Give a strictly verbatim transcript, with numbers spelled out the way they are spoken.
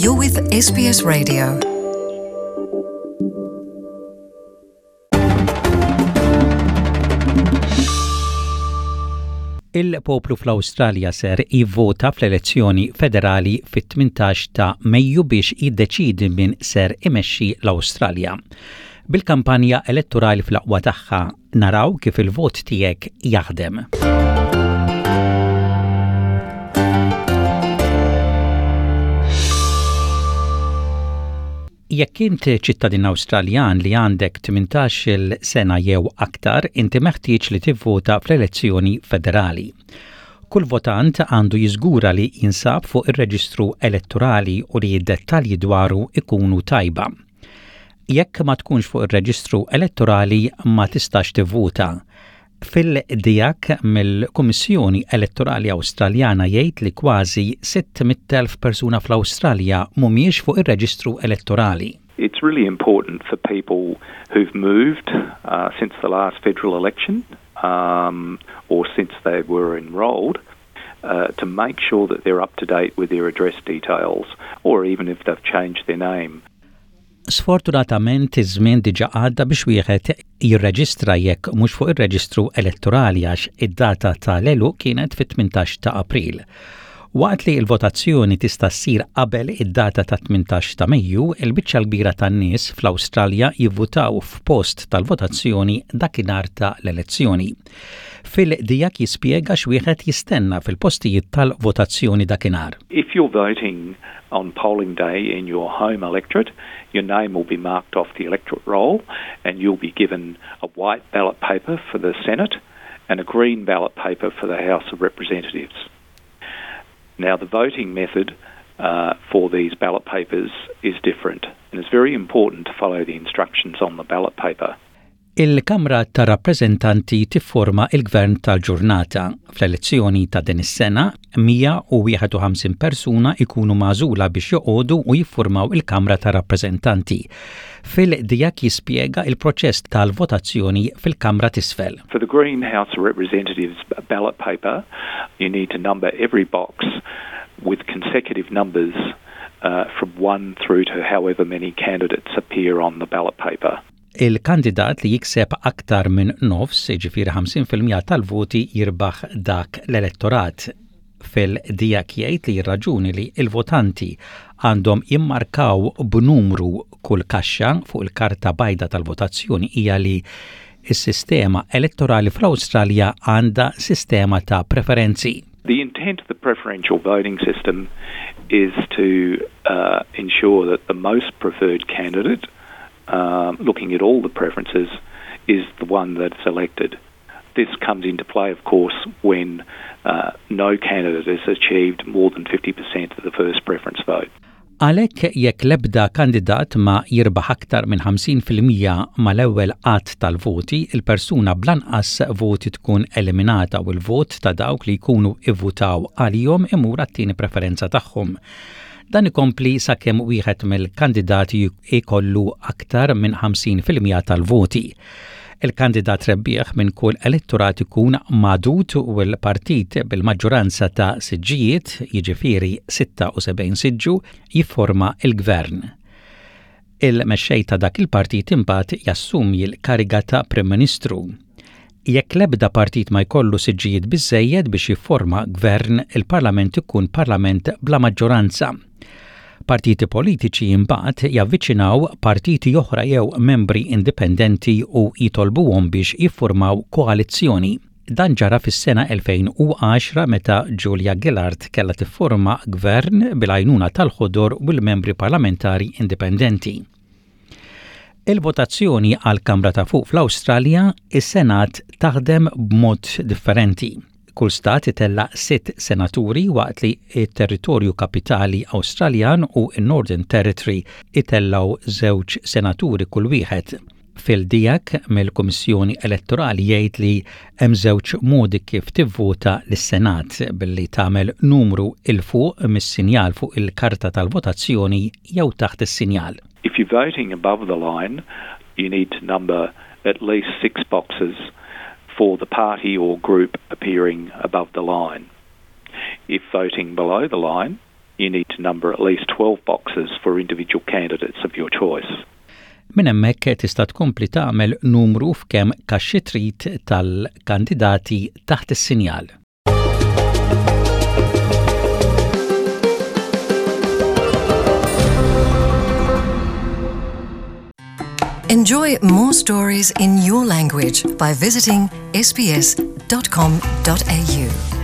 You're with S B S Radio. Il-poplu fl-Awstralja ser jivvota fl-elezzjoni federali fit-tmintax ta' Mejju biex jiddeċidi min ser imexxi l-Awstralja. Bil-kampanja elettorali fl-aqwa tagħha, naraw kif il-vot tiegħek jaħdem. Jekk int ċittadin Awstraljan li għandek tmintax-il sena jew aktar, inti meħtieġ li tivvota fl-elezzjoni federali. Kull votant għandu jiżgura li jinsab fuq ir-reġistru elettorali u li d-dettalji dwaru ikunu tajba. Jekk ma tkunx fuq ir-reġistru elettorali, ma tistax tivvota. Phil Diak mill-Kummissjoni Elettorali Awstraljana jgħid li kważi sitt mitt elf persuna fl-Awstralja mhumiex fuq ir-reġistru elettorali. It's really important for people who've moved uh, since the last federal election um, or since they were enrolled uh, to make sure that they're up to date with their address details or even if they've changed their name. Sfortunatament, iż-żmien diġà għadda biex wieħed jirreġistra jekk mhux fuq ir-reġistru elettorali, għax id-data tal-għeluq kienet fit-tmintax ta' April. Waqt li l-votazzjoni tista' ssir qabel id-data ta' tmintax ta' Mejju, il-biċċa l-kbira tan-nies fl-Awstralja jivvutaw f'post tal-votazzjoni dakinhar ta' l-elezzjoni. Phil Diak jispjega x'wieħed jistenna fil-postijiet tal-votazzjoni dakinhar. If you're voting on polling day in your home electorate, your name will be marked off the electorate roll and you'll be given a white ballot paper for the Senate and a green ballot paper for the House of Representatives. Now, the voting method uh, for these ballot papers is different, and it's very important to follow the instructions on the ballot paper. Il-Kamra ta' Rappreżentanti tifforma il-Gvern tal-ġurnata. Fl-elezzjoni ta' din is-sena, mija u wieħed u ħamsin persuna ikunu magħżula biex joqogħdu u jiffurmaw il-Kamra ta' Rappreżentanti. Phil Diak jispjega il-proċess tal-votazzjoni fil-Kamra t'Isfel. For the Green House of Representatives ballot paper, you need to number every box with consecutive numbers uh, from one through to however many candidates appear on the ballot paper. Il-kandidat li jikseb aktar minn nofs, jiġifieri ħamsin fil-mija tal-voti, jirbaħ dak l-elettorat. Phil Diak jgħid li raġuni li il-votanti għandhom jimmarkaw b'numru kull kaxxa fuq il-karta bajda tal-votazzjoni hija li s-sistema elettorali fl-Awstralja għandha sistema ta' preferenzi. The intent of the preferential voting system is to uh, ensure that the most preferred candidate, um, looking at all the preferences, is the one that's elected. This comes into play, of course, when uh, no candidate has achieved more than fifty percent of the first preference vote. Għalhekk, jekk l-ebda kandidat ma jirbaħ aktar minn ħamsin fil-mija mal-ewwel għadd tal-voti, il-persuna bl-anqas voti tkun eliminata u l-vot ta' dawk li jkunu ivvutaw għalihom imur għat-tieni preferenza tagħhom. Dan ikompli sakemm wieħed mill-kandidati ikollu aktar minn ħamsin fil-mija tal-voti. Il-kandidat rebbieħ minn kull elettorat ikun magħdud u l-partit bil-maġġoranza ta' siġġijiet, jiġifieri sitta u sebgħin siġġu, jifforma il-gvern. Il-mexxej ta' dak il-partit imbagħad jassumi l-kariga ta' Prim Ministru. Jekk l-ebda partit ma jkollu siġġijiet biżejjed biex jifforma gvern, il-parlament ikun parlament bla maġġoranza. Partiti politiċi imbagħad javviċinaw partiti oħra jew membri indipendenti u jitolbuhom biex jiffurmaw koalizzjoni. Dan ġara fis-sena elfejn u għaxra, meta Julia Gillard kellha tifforma gvern bil-għajnuna tal-Ħodor u l-membri parlamentari indipendenti. Il-votazzjoni għal Kamra ta' Fuq fl-Awstralja, is-Senat, taħdem b'mod differenti. Kull stat itella sitt senaturi, waqt li il-territorju kapitali Awstraljan u n-Northern Territory itellaw żewġ senaturi kull wieħed. Phil Diak mill-Kummissjoni Elettorali jgħid li hemm żewġ modi kif tivvota lis-Senat: billi tagħmel numru 'l fuq mis-sinjal fuq il-karta tal-votazzjoni jew taħt is-sinjal. If you're voting above the line, you need to number at least six boxes for the party or group appearing above the line. If voting below the line, you need to number at least twelve boxes for individual candidates of your choice. Minn hemmhekk tista' tkompli tagħmel numru f'kemm kaxxi trid tal-kandidati taħt is-sinjal. Enjoy more stories in your language by visiting S B S dot com dot A U.